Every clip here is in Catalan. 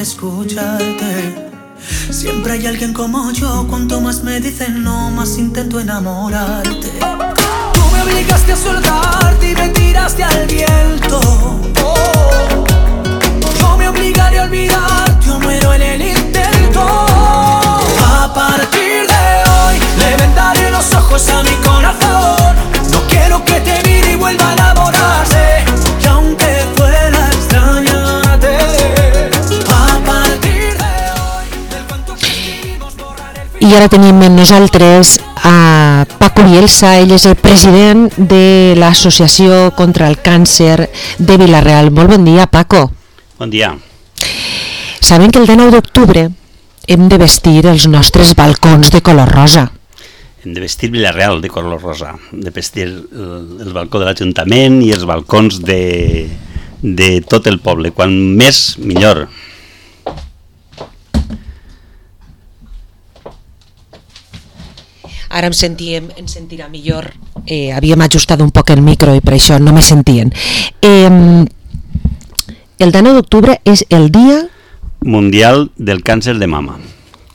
escucharte. Siempre hay alguien como yo, cuanto más me dicen no, más intento enamorarte. Tú me obligaste a soltarte y me tiraste al viento. Yo me obligaré a olvidarte o muero en el intento. A partir de hoy le vendaré los ojos a mi corazón. No quiero que te mire y vuelva a enamorarse. Y aunque fuera extrañarte, a partir de hoy del cuento que escribimos borraré el final. I ara tenim amb nosaltres a Paco Bielsa. Ell és el president de l'Associació contra el Càncer de Vila-real. Molt bon dia, Paco. Bon dia. Sabem que el 19 d'octubre hem de vestir els nostres balcons de color rosa. Hem de vestir Vila-real de color rosa, de vestir el balcó de l'Ajuntament i els balcons de tot el poble. Quan més, millor. Ara em sentirà millor. Havíem ajustat un poc el micro i per això no me sentien. El 19 d'octubre és el Dia Mundial del Càncer de Mama.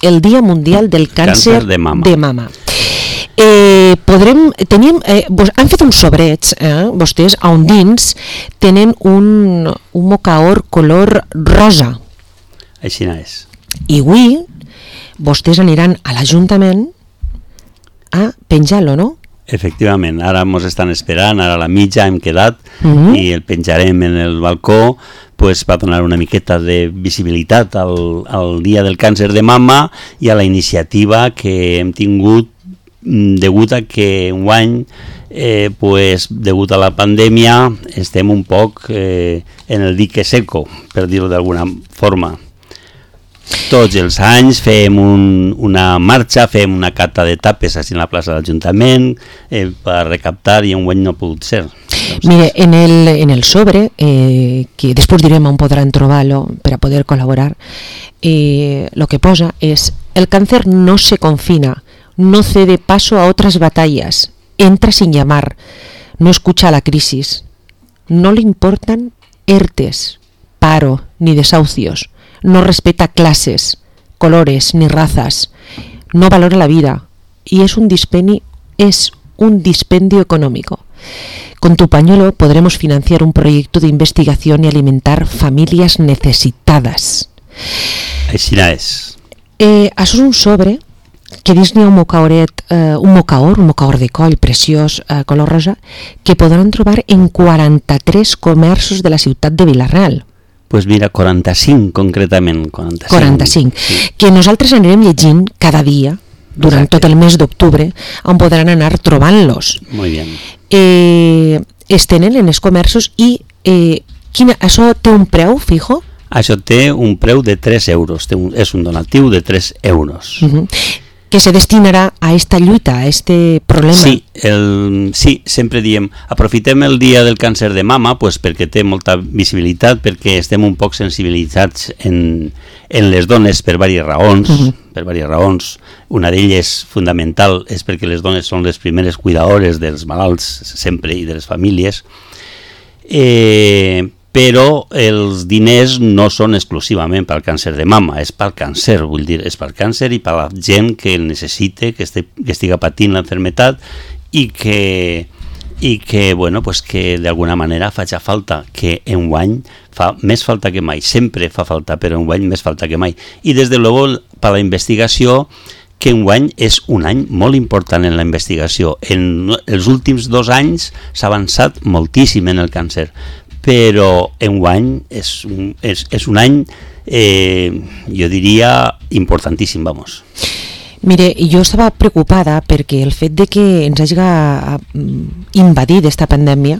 El Dia Mundial del Càncer de Mama. Han fet un sobreig, vostès, on dins tenen un mocaor color rosa. Així és. I avui vostès aniran a l'Ajuntament a penjar-lo, no? Efectivament, ara ens estan esperant, ara a la mitja hem quedat i el penjarem en el balcó per donar una miqueta de visibilitat al Dia del Càncer de Mama i a la iniciativa que hem tingut degut a que enguany, degut a la pandèmia, estem un poc en el dique seco, per dir-ho d'alguna forma. Tots els anys fem una marxa, fem una cata de tapes a la plaça de l'Ajuntament per recaptar i enguany no ha pogut ser. Mire, en el sobre, que després direm on podran trobar-lo per a poder col·laborar, lo que posa és: el cáncer no se confina, no cede paso a otras batallas, entra sin llamar, no escucha la crisis, no le importan ERTES, paro ni desahucios, no respeta clases, colores ni razas, no valora la vida y es un dispendio económico. Con tu pañuelo podremos financiar un proyecto de investigación y alimentar familias necesitadas. Així és. Això és un sobre que dins n'hi ha un mocaor de coll preciós, color rosa, que podran trobar en 43 comerços de la ciutat de Vila-real. Pues mira, 45 concretament. 45. Sí. Que nosaltres anirem llegint cada dia durant tot el mes d'octubre on podran anar trobant-los. Molt bé. Es tenen en els comerços i això té un preu fijo? Això té un preu de 3 euros, és un donatiu de 3 euros. Que se destinarà a esta lluita, a este problema. Sí, sempre diem, aprofitem el Dia del Càncer de Mama perquè té molta visibilitat, perquè estem un poc sensibilitzats en les dones per diverses raons. Una d'elles fundamental és perquè les dones són les primeres cuidadores dels malalts sempre i de les famílies, però els diners no són exclusivament pel càncer de mama, és pel càncer, vull dir, és pel càncer i per la gent que el necessite, que estiga patint l'enfermetat i que d'alguna manera faci falta, que enguany fa més falta que mai, sempre fa falta, però enguany més falta que mai. I des de luego per la investigació, que enguany és un any molt important en la investigació. En els últims 2 anys s'ha avançat moltíssim en el càncer, però enguany és un any, jo diria, importantíssim, vamos. Mire, jo estava preocupada perquè el fet de que ens hagi invadit aquesta pandèmia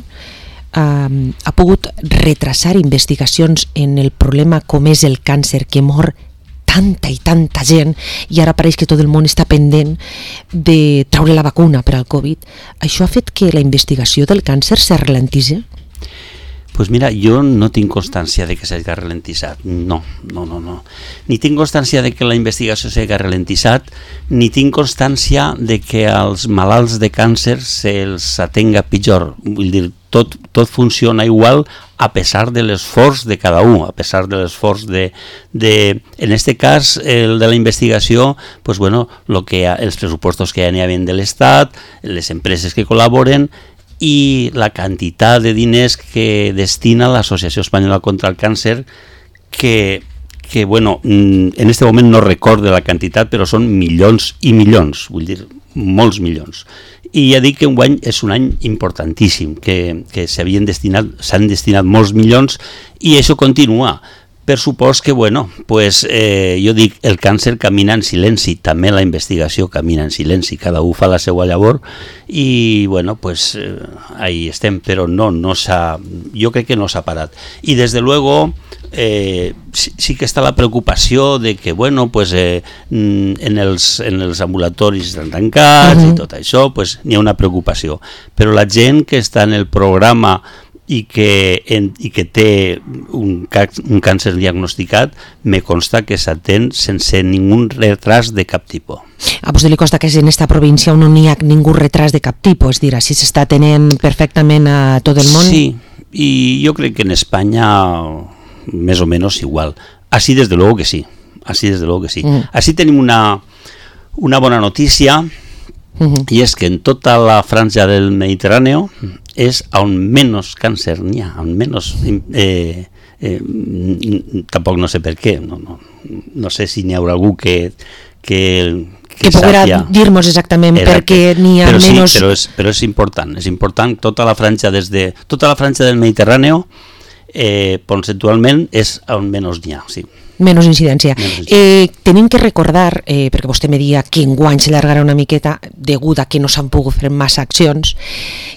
ha pogut retrasar investigacions en el problema com és el càncer, que mor tanta i tanta gent, i ara pareix que tot el món està pendent de traure la vacuna per al Covid. Això ha fet que la investigació del càncer se ralentitzi? Pues mira, jo no tinc constància de que s'hagi ralentitzat, no. Ni tinc constància de que la investigació s'hagi ralentitzat, ni tinc constància de que als malalts de càncer se'ls atenga pitjor. Vull dir, tot funciona igual a pesar de l'esforç de cada un, a pesar de l'esforç en este cas, el de la investigació, pues bueno, els pressupostos que ja n'hi havia de l'Estat, les empreses que col·laboren i la quantitat de diners que destina l'Associació Espanyola contra el Càncer, que bueno, en este moment no recordo la quantitat, però són milions i milions, vull dir, molts milions. I ja dic que enguany és un any importantíssim, que s'han destinat molts milions i això continua. Per supòs que, bueno, pues, jo dic, el càncer camina en silenci, també la investigació camina en silenci, cada un fa la seva llavor i, bueno, pues, ahí estem, però jo crec que no s'ha parat. I, des de luego, sí que està la preocupació de que, bueno, pues, en els ambulatoris estan tancats i tot això, pues, n'hi ha una preocupació. Però la gent que està en el programa i que té un càncer diagnosticat, me consta que s'atén sense ningú retras de cap tipus. A vostè li consta que en esta província no n'hi ha ningú retras de cap tipus, és dir, així s'està atenent perfectament a tot el món? Sí, i jo crec que en Espanya més o menys igual. Así desde luego que sí. Así tenim una bona notícia, i és que en tota la franja del Mediterrani és on menys càncer n'hi ha, on menys... tampoc no sé per què, no sé si n'hi haurà algú que podrà dir-nos exactament per què n'hi ha menys... Sí, però és important, tota la franja del Mediterrani conceptualment és on menys n'hi ha, sí. Menys incidència. Tenim que recordar, perquè vostè me dia que enguany s'allargarà una miqueta degut a que no s'han pogut fer massa accions,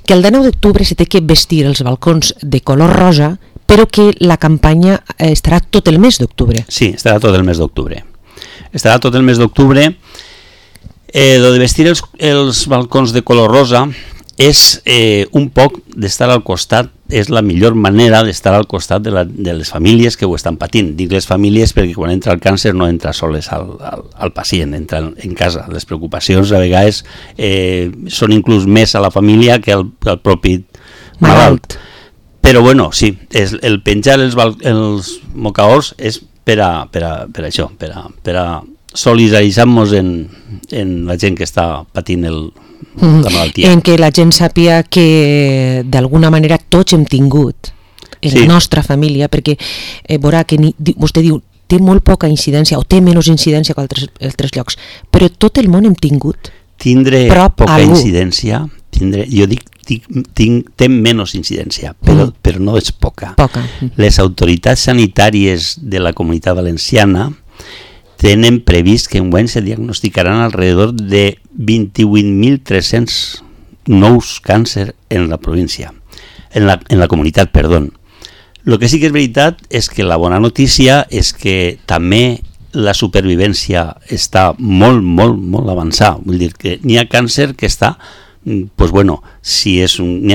que el 9 d'octubre se té que vestir els balcons de color rosa, però que la campanya estarà tot el mes d'octubre. Sí, estarà tot el mes d'octubre. Lo de vestir els balcons de color rosa és un poc d'estar al costat, és la millor manera d'estar al costat de les famílies que ho estan patint. Dic les famílies perquè quan entra el càncer no entra soles al pacient, entra en casa. Les preocupacions a vegades són inclús més a la família que al propi malalt. Però bueno, sí, el penjar els mocaors és per això, per a solidaritzar-nos en la gent que està patint la malaltia. En què la gent sàpia que d'alguna manera tots hem tingut en la nostra família, perquè veurà que vostè diu té molt poca incidència o té menys incidència que altres llocs, però tot el món hem tingut tindre poca incidència, jo dic té menys incidència, però no és poca. Les autoritats sanitàries de la Comunitat Valenciana tenen previst que enguany se diagnosticaran alrededor de 28.300 nous càncer en la província, en la comunitat, perdó. El que sí que és veritat és que la bona notícia és que també la supervivència està molt, molt, molt avançada. Vull dir que n'hi ha càncer que està, pues bueno, n'hi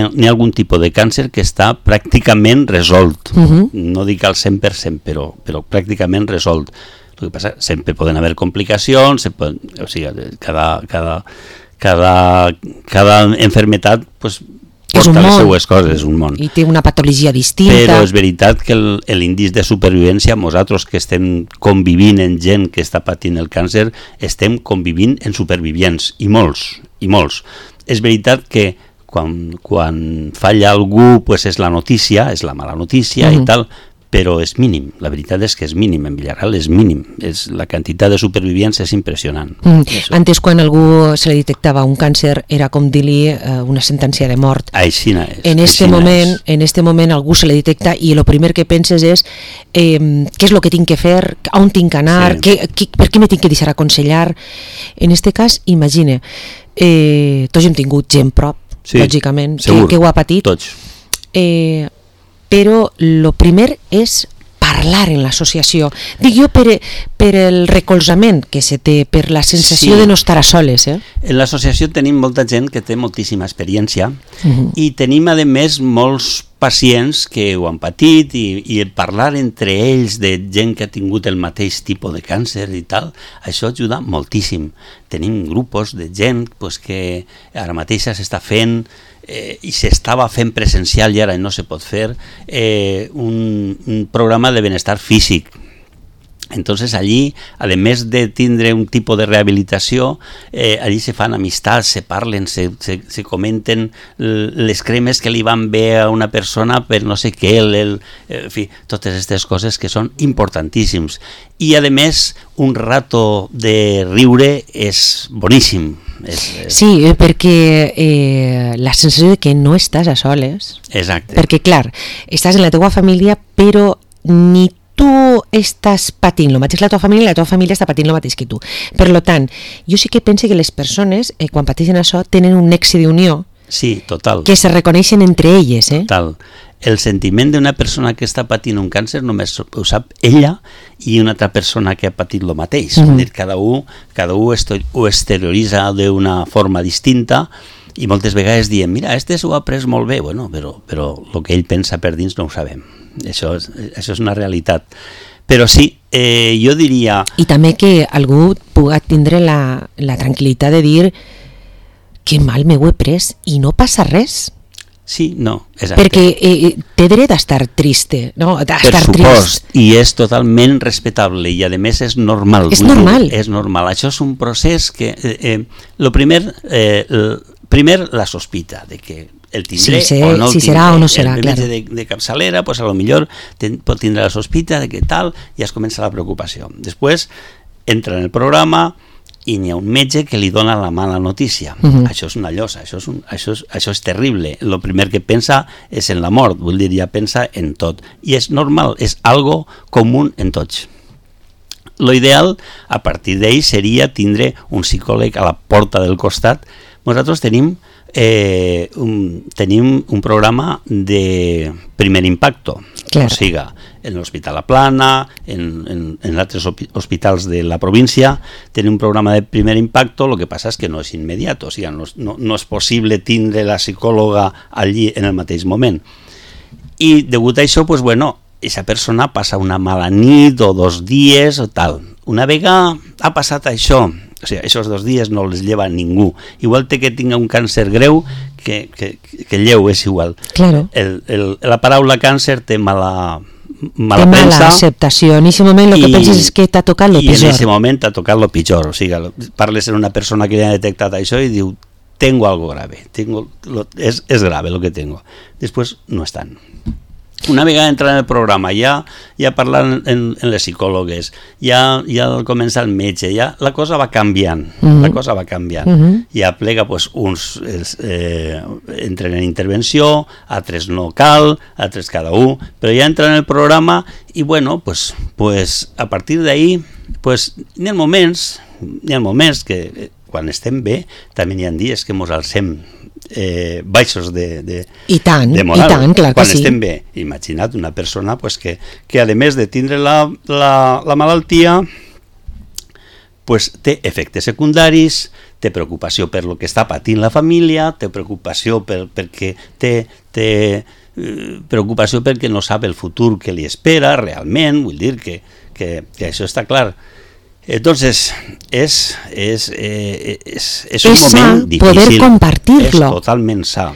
ha algun tipus de càncer que està pràcticament resolt. No dic al 100%, però pràcticament resolt. El que passa, sempre poden haver complicacions, o sigui, cada enfermetat pues, porta les seues coses, és un món. I té una patologia distinta. Però és veritat que l'índice de supervivència, nosaltres que estem convivint en gent que està patint el càncer, estem convivint en supervivients, i molts. És veritat que quan falla algú pues és la notícia, és la mala notícia i tal, però és mínim, la veritat és que és mínim, en Villareal és mínim, la quantitat de supervivients és impressionant. Antes quan algú se li detectava un càncer era com dir-li una sentència de mort. Aixina és. En este moment algú se li detecta i el primer que penses és què és el que tinc que fer, on tinc que anar, per què me tinc que deixar aconsellar. En este cas, imagina, tots hem tingut gent prop, lògicament, que ho ha patit. Tots. Però el primer és parlar en l'associació. Dic jo per el recolzament que se té, per la sensació de no estar a soles. En l'associació tenim molta gent que té moltíssima experiència i tenim, a més, molts pacients que ho han patit i parlar entre ells de gent que ha tingut el mateix tipus de càncer i tal, això ajuda moltíssim. Tenim grupos de gent pues, que ara mateix s'està fent i s'estava fent presencial i ara no se pot fer un programa de benestar físic. Entonces allí, además de tindre un tipo de rehabilitació, allí se fan amistats, se parlen, se comenten les cremes que li van bé a una persona per no sé què, en fi, totes aquestes coses que són importantíssims. I a més, un rato de riure és boníssim. Sí, perquè la sensació de que no estàs a soles. Exacte. Perquè, clar, estàs en la teva família, però ni tu estàs patint el mateix la teva família i la teva família està patint el mateix que tu. Per tant, jo sí que penso que les persones, quan pateixen això, tenen un nexe d'unió. Sí, total. Que se reconeixen entre elles. Total. El sentiment d'una persona que està patint un càncer només ho sap ella i una altra persona que ha patit el mateix. Cada un ho exterioritza d'una forma distinta i moltes vegades diem, mira, este s'ho ha pres molt bé, bueno, però el que ell pensa per dins no ho sabem. Això és una realitat. Però sí, jo diria... I també que algú pugui tindre la tranquil·litat de dir que mal m'ho he pres i no passa res. Sí, no, exacte. Perquè té dret a estar triste, no? A estar trist. I és totalment respectable i a més és normal. És normal. És normal. Això és un procés que... primer la sospita de que el tindré o no el tindré. Si serà o no serà, el metge de capçalera, pues a lo millor pot tindre la sospita de que tal, i es comença la preocupació. Després entra en el programa i n'hi ha un metge que li dona la mala notícia. Això és una llosa, això és terrible. El primer que pensa és en la mort, vull dir, ja pensa en tot. I és normal, és algo comú en tots. Lo ideal, a partir d'ell, seria tindre un psicòleg a la porta del costat. Nosaltres tenim un programa de primer impacto, claro. O sigui, en l'Hospital La Plana, en altres hospitals de la província, tenim un programa de primer impacto, el que passa és que no és immediat, o sigui, no és possible tindre la psicòloga allí en el mateix moment. I degut a això, pues bueno, aquesta persona passa una mala nit o 2 dies o tal. Una vegada ha passat això, o sigui, aquests 2 dies no els lleva ningú. Igual té que tinga un càncer greu que lleu, és igual. Claro. La paraula càncer té mala premsa. Mala acceptació. En aquest moment el que penses és que t'ha tocat lo pitjor. I en aquest moment t'ha tocat lo pitjor. O sigui, parles amb una persona que ja ha detectat això i diu, tengo algo grave. Es grave lo que tengo. Després no estan. Una vegada entra en el programa, ja parlant en les psicòlogues, ja comença el metge, ja la cosa va canviant, ja plega, pues, uns entren en intervenció, altres no cal, altres cada un, però ja entra en el programa i bueno, pues a partir d'ahí, pues n'hi ha moments que quan estem bé, també n'hi ha dies que mos alcem baixos de moral. I tant, clar que quan sí. Estem bé. Imagina't una persona pues, que a més de tindre la malaltia pues, té efectes secundaris, té preocupació per lo que està patint la família, té preocupació perquè preocupació perquè no sap el futur que li espera realment, vull dir que això està clar. Entonces, es un moment difícil. Poder compartirlo. És totalment sa.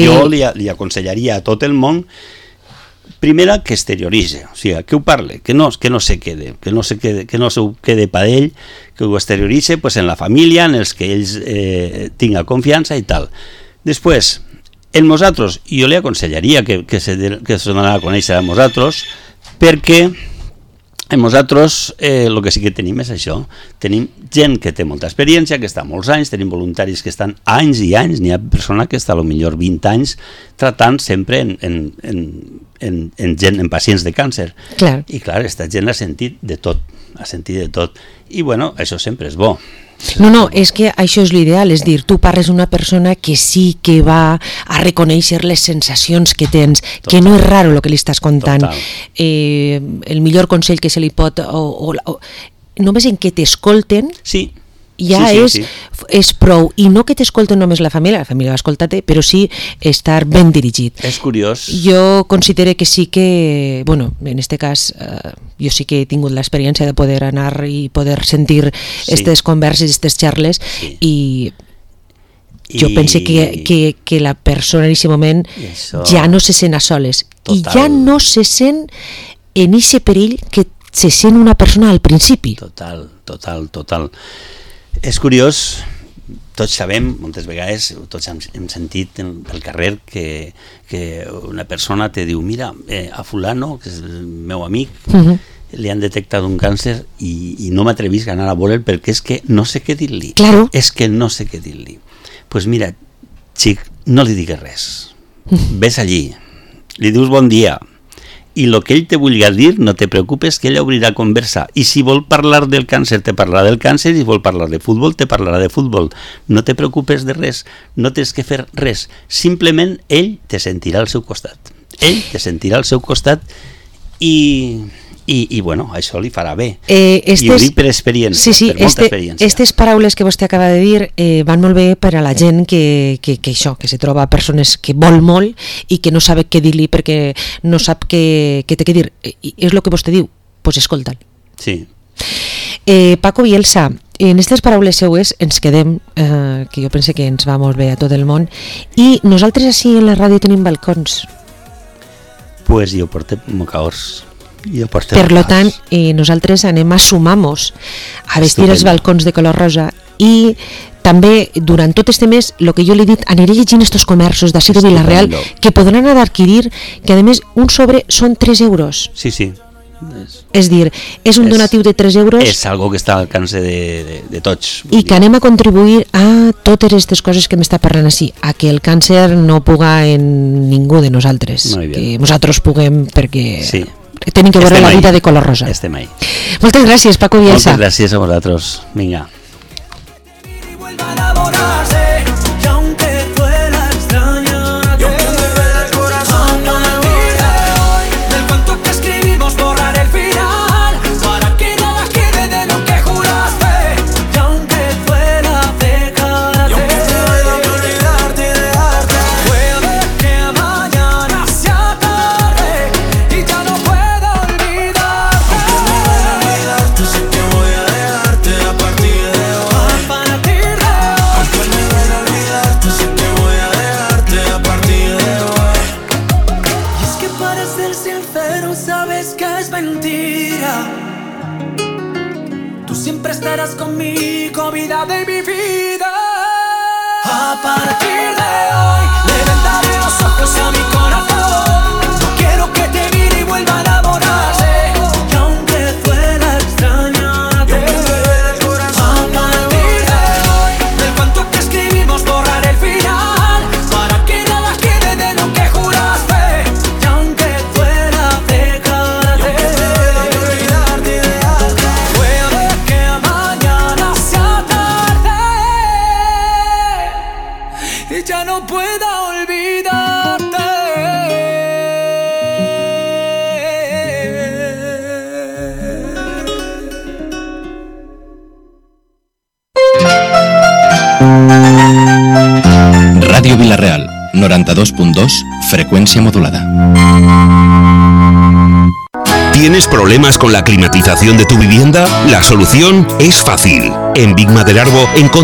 Jo li aconsellaria a tot el món, primera, que exterioritze, o sigui, que ho parle, que no se quede, que no se quede per ell, que ho exterioritze pues, en la família, en els que ells tinga confiança i tal. Després, en nosaltres, jo li aconsellaria que se donarà a conèixer a nosaltres, perquè en nosaltres el que sí que tenim és això, tenim gent que té molta experiència, que està molts anys, tenim voluntaris que estan anys i anys, n'hi ha persona que està potser 20 anys tratant sempre en pacients de càncer. Clar. I clar, aquesta gent ha sentit de tot, i bueno, això sempre és bo. No, és que això és l'ideal, és dir, tu parles d'una persona que sí que va a reconèixer les sensacions que tens, total. Que no és raro el que li estàs contant. El millor consell que se li pot... només en què t'escolten, sí. ja és prou, i no que t'escolten només la família va escoltar-te, però sí estar ben dirigit. És curiós. Jo considero que sí que, bueno, en este cas jo sí que he tingut l'experiència de poder anar i poder sentir aquestes converses, aquestes xarles, i jo penso que la persona en aquest moment ja no se sent a soles. Total. I ja no se sent en aquest perill que se sent una persona al principi. Total. És curiós, tots sabem, moltes vegades, tots hem sentit al carrer que una persona te diu, mira, a fulano, que és el meu amic, li han detectat un càncer i no m'atrevisc a anar a veure'l perquè és que no sé què dir-li. Claro. És que no sé què dir-li. Pues mira, xic, no li digues res. Ves allí, li dius bon dia, i el que ell te vulgui dir, no te preocupes, que ell obrirà conversa. I si vol parlar del càncer, te parlarà del càncer, i si vol parlar de futbol, te parlarà de futbol. No te preocupes de res, no tens que fer res. Simplement ell te sentirà al seu costat. Ell te sentirà al seu costat i bueno, això li farà bé. I ho dic per experiència, per molta experiència. Aquestes paraules que vostè acaba de dir van molt bé per a la gent que se troba persones que vol molt i que no sabe què dir-li perquè no sap què té que dir. I és el que vostè diu, doncs escolta'l. Sí. Paco Bielsa, en aquestes paraules seues ens quedem, que jo penso que ens va molt bé a tot el món, i nosaltres així en la ràdio tenim balcons. Pues jo porto mocaors. Per lo tant, nosaltres anem a sumar-nos a vestir els balcons de color rosa, i també durant tot este mes, el que jo li he dit, aniré llegint estos comerços d'ací de Vila-real que podran anar a adquirir, que a més un sobre són 3 euros. Sí. És dir, és un donatiu de 3 euros. És algo que està al alcance de tots. I que anem a contribuir a totes aquestes coses que m'està parlant així, a que el càncer no puga en ningú de nosaltres, que nosaltres puguem perquè... Sí. Tenim que veure la vida de color rosa. Estem ahí. Moltes gràcies, Paco Bielsa. Moltes gràcies a vosaltres. Vinga. Estarás conmigo, vida de mi vida. A partir de hoy le vendaré los ojos a mi corazón. No quiero que te mire y vuelva a enamorarse. Y aunque fuera extrañarte, a partir de hoy del cuento que escribimos borraré el final, para que nada quede de lo que juraste. Y aunque fuera dejarte, olvidarte y dejarte, puede que mañana sea tarde y ya no pueda olvidarte. Ràdio Vila-real, 92.2, frecuencia modulada. ¿Tienes problemas con la climatización de tu vivienda? La solución es fácil. En Big Madelarbo encontrarás